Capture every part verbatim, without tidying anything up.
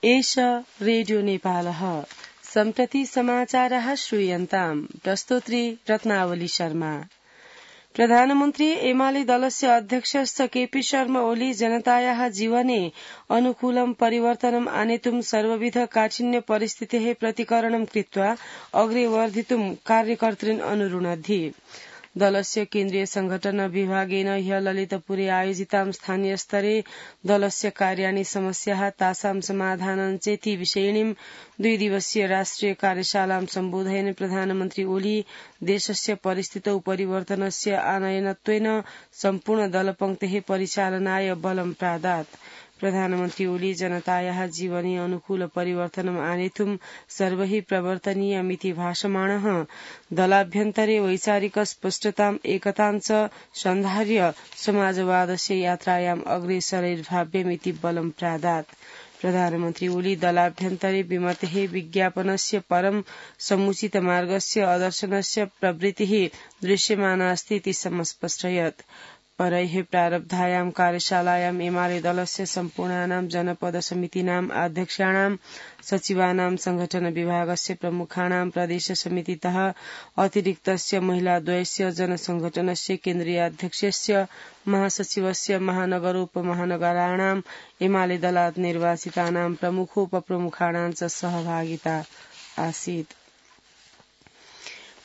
एष रेडियो नेपालः सम्प्रति समाचारः श्रूयन्ताम् प्रस्तोत्री रत्नावली शर्मा। प्रधानमन्त्री एमाले दलस्य अध्यक्षश्च केपी शर्मा ओली जनतायाः जीवने अनुकूलं परिवर्तनम् आनेतुं सर्वविध काठिन्य परिस्थितेः प्रतिकरणं कृत्वा अग्रे वर्धितुं कार्यकर्तॄन् अनुरुणद्धि। दलस्य केन्द्रीय संघटन विभागेन ह्य ललितपुरे आयोजितां स्थानीय स्तरे दलस्य कार्याणि समस्याः तासां समाधानं चेति विषयिणीं द्विदिवसीय राष्ट्रिय कार्यशालां सम्बोधयन् प्रधानमन्त्री ओली देशस्य परिस्थितौ परिवर्तनस्य आनयनत्वेन सम्पूर्ण दलपंक्तेः परिचालनाय बलं प्रादात्। प्रधानमन्त्री ओली जनतायाः जीवने अनुकूल परिवर्तनम् आनेतुं सर्वैः प्रवर्तनीयमिति भाषमाणः दलाभ्यन्तरे वैचारिक स्पष्टताम् एकतां च सन्धार्य समाजवादस्य यात्रायाम् अग्रेसरैर्भाव्यमिति बलं प्रादात्। प्रधानमन्त्री ओली दलाभ्यन्तरे विमतेः विज्ञापनस्य परं समुचित मार्गस्य अदर्शनस्य प्रवृत्तिः दृश्यमानास्ति इति समस्पष्टयत्। परैः प्रारब्धायां कार्यशालायाम् एमाले दलस्य सम्पूर्णानां जनपद समितीनाम् अध्यक्षाणां सचिवानां संघटन विभागस्य प्रमुखाणां प्रदेश समितितः अतिरिक्तस्य महिलाद्वयस्य जनसंघटनस्य केन्द्रीयाध्यक्षस्य महासचिवस्य महानगरोपमहानगराणाम् एमाले दलात् निर्वाचितानां प्रमुखोपप्रमुखाणां च सहभागिता आसीत्।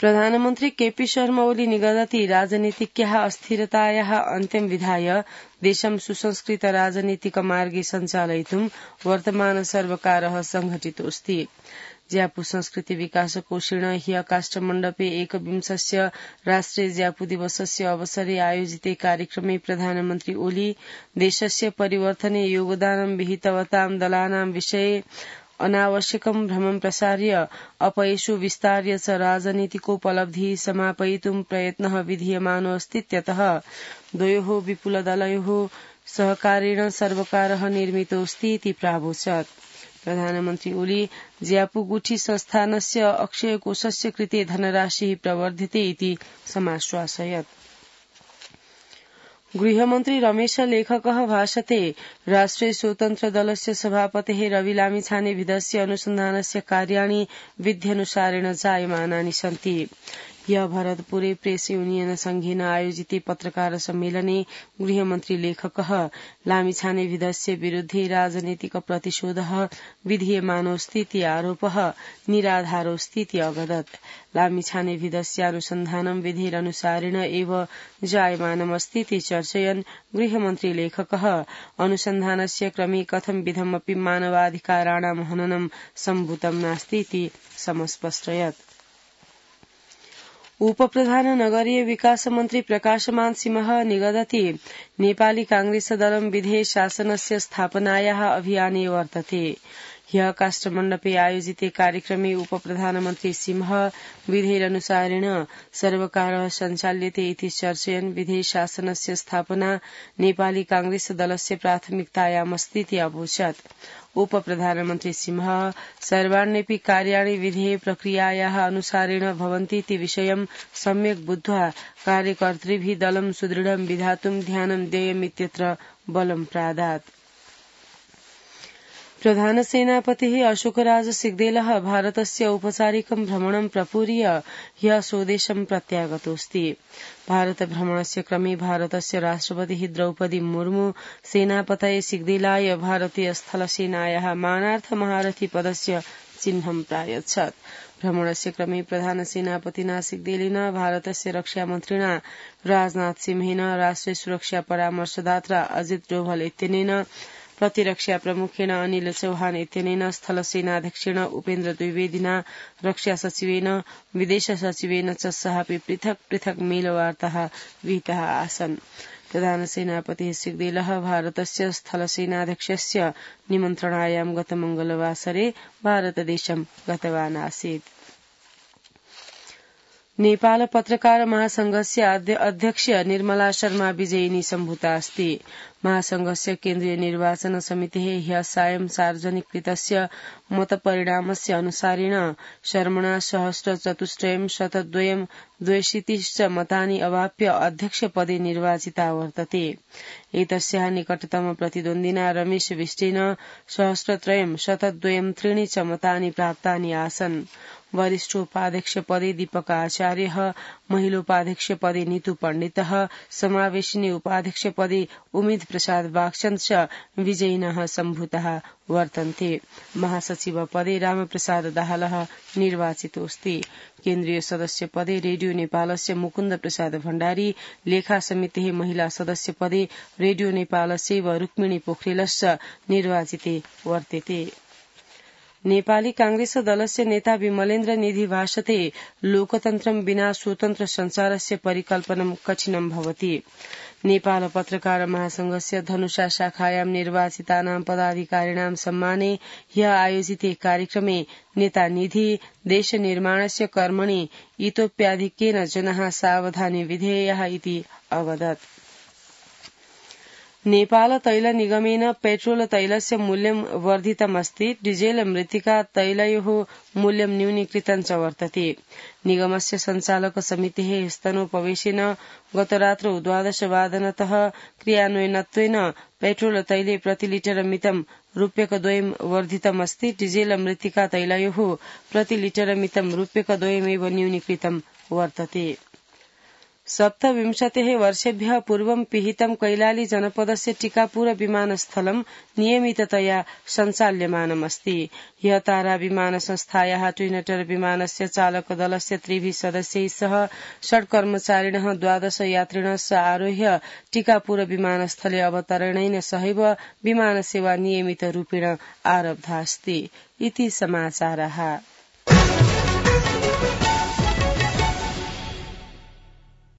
प्रधानमन्त्री केपी शर्मा ओली निगदति राजनीतिज्ञाः अस्थिरतायाः अन्त्यं विधाय देशं सुसंस्कृत राजनीतिक मार्गे सञ्चालयितुं वर्तमान सर्वकारः संघटितोऽस्ति। ज्यापू संस्कृति विकास कोषेण ह्य काष्ठमण्डपे एकविंशस्य राष्ट्रिय ज्यापू दिवसस्य अवसरे आयोजिते कार्यक्रमे प्रधानमन्त्री ओली देशस्य परिवर्तने योगदानं विहितवतां दलानां विषये अनावश्यकं भ्रमं प्रसार्य अपयशो विस्तार्य च राजनीतिकोपलब्धिः समापयितुं प्रयत्नः विधीयमानोऽस्तीत्यतः द्वयोः विपुलदलयोः सहकारेण सर्वकारः निर्मितोऽस्ति इति प्रावोचत्। प्रधानमन्त्री ओली ज्यापूगुठी संस्थानस्य अक्षयकोषस्य कृते धनराशिः प्रवर्ध्यते इति समाश्वासयत्। गृहमन्त्री रमेश लेखकः भाषते राष्ट्रिय स्वतन्त्र दलस्य सभापतेः रवि लामिछानेविधस्य अनुसन्धानस्य कार्याणि विध्यनुसारेण जायमानानि सन्ति। ह्य भरतपुरे प्रेस यूनियन संघेन आयोजिते पत्रकार सम्मेलने गृहमन्त्री लेखकः लामिछानेविधस्य विरुद्धे राजनीतिक प्रतिशोधः विधीयमानोऽस्तीति आरोपः निराधारोऽस्तीति अवदत्। लामिछानेविधस्य अनुसन्धानं विधिरनुसारेण एव जायमानमस्तीति चर्चयन् गृहमन्त्री लेखकः अनुसन्धानस्य क्रमे कथं विधमपि मानवाधिकाराणां हननं सम्भूतं नास्तीति समस्पष्टयत्। उपप्रधान नगरीय विकास मन्त्री प्रकाशमान सिंह निगदति नेपाली कांग्रेस दलं विधेय शासनस्य स्थापनायाः अभियाने वर्तते। ह्य काष्ठमण्डपे आयोजिते कार्यक्रमे उपप्रधानमन्त्री सिंह विधेयरनुसारेण सर्वकारः सञ्चाल्यते इति चर्चयन् विधेय शासनस्य स्थापना नेपाली कांग्रेस दलस्य प्राथमिकतायामस्तीति अवोचत्। उपप्रधानमन्त्री सिंह सर्वाण्यपि कार्याणि विधेय प्रक्रियायाः अनुसारेण भवन्तीति विषयं सम्यक् बुद्ध्वा कार्यकर्तृभिः दलं सुदृढं विधातुं ध्यानं देयमित्यत्र बलं प्रादात्। प्रधानसेनापतिः अशोकराज सिग्देलः भारतस्य औपचारिकं भ्रमणं प्रपूर्य ह्यः स्वदेशं प्रत्यागतोऽस्ति। भारत भ्रमणस्य क्रमे भारतस्य राष्ट्रपतिः द्रौपदी मुर्मू सेनापतये सिग्देलाय भारतीय स्थलसेनायाः मानार्थ महारथी पदस्य चिह्नं प्रायच्छत्। भ्रमणस्य क्रमे प्रधानसेनापतिना सिग्देलेन भारतस्य रक्षामन्त्रिणा राजनाथ सिंहेन राष्ट्रिय सुरक्षा परामर्शदाता अजित डोभाल इत्यनेन प्रतिरक्षा प्रमुखेण अनिल चौहान इत्यनेन स्थलसेनाध्यक्षेण उपेन्द्र द्विवेदिना रक्षा सचिवेन विदेश सचिवेन च सहापि पृथक् पृथक् मेलवार्ताः विहिताः आसन्। प्रधानसेनापतिः सिग्देलः भारतस्य स्थलसेनाध्यक्षस्य निमन्त्रणायां गतमङ्गलवासरे भारतदेशं गतवान् आसीत्। नेपाल पत्रकार महासंघस्य अध्यक्ष निर्मला शर्मा विजयिनी सम्भूता अस्ति। महासंघस्य केन्द्रीय निर्वाचन समितिः ह्यः सायं सार्वजनिकृतस्य मतपरिणामस्य अनुसारेण शर्मणा सहस्रचतुष्टयं शतद्वयं द्वयशीतिश्च मतानि अवाप्य अध्यक्षपदे निर्वाचिता वर्तते। एतस्याः निकटतम प्रतिद्वन्दिना रमेश बिष्टेन सहस्रत्रयं शतद्वयं त्रीणि च मतानि प्राप्तानि आसन्। वरिष्ठोपाध्यक्षपदे दीपक आचार्यः, महिलोपाध्यक्षपदे नीतू पण्डितः, समावेशिनी उपाध्यक्षपदे उमेद प्रसाद बागचन्द च विजयिनः सम्भूताः वर्तन्ते। महासचिवपदे रामप्रसाद दाहालः निर्वाचितोऽस्ति। केन्द्रीय सदस्य पदे रेडियो नेपालस्य मुकुन्द प्रसाद भण्डारी, लेखा समितेः महिला सदस्य पदे रेडियो नेपालस्यैव रुक्मिणी पोखरेलश्च निर्वाचिते वर्तेते। नेपाली कांग्रेस दलस्य नेता विमलेन्द्र निधि भाषते लोकतन्त्रं विना स्वतन्त्र संचारस्य परिकल्पनं कठिनं भवति। नेपाल पत्रकार महासंघस्य धनुषा शाखायां निर्वाचितानां पदाधिकारिणां सम्माने ह्यः आयोजिते कार्यक्रमे नेता निधि देशनिर्माणस्य कर्मणि इतोप्याधिक्येन जनाः सावधानी विधेयाः इति अवदत्। नेपाल तैल निगमेन पेट्रोल तैलस्य मूल्यं वर्धितमस्ति। डिजेल मृत्तिका तैलयोः मूल्यं न्यूनीकृतं च वर्तते। निगमस्य सञ्चालक समितेः स्तनोपवेशेन गतरात्रौ द्वादशवादनतः क्रियान्वयनत्वेन पेट्रोल तैले प्रतिलिटर मितं रूप्यकद्वयं वर्धितमस्ति। डिजेल मृत्तिका तैलयोः प्रतिलिटर मितं रूप्यकद्वयमेव न्यूनीकृतं वर्तते। सप्तविंशतिः वर्षेभ्यः पूर्वं पिहितं कैलाली जनपदस्य टीकापुर विमानस्थलं नियमिततया सञ्चाल्यमानमस्ति। ह्यः तारा विमान संस्थायाः ट्विनटर विमानस्य चालक दलस्य त्रिभिः सदस्यैः सह षड् कर्मचारिणः द्वादश यात्रिणः च आरोह्य टीकापुर विमानस्थले अवतरणेन सहैव विमानसेवा नियमितरूपेण आरब्धास्ति इति समाचारः।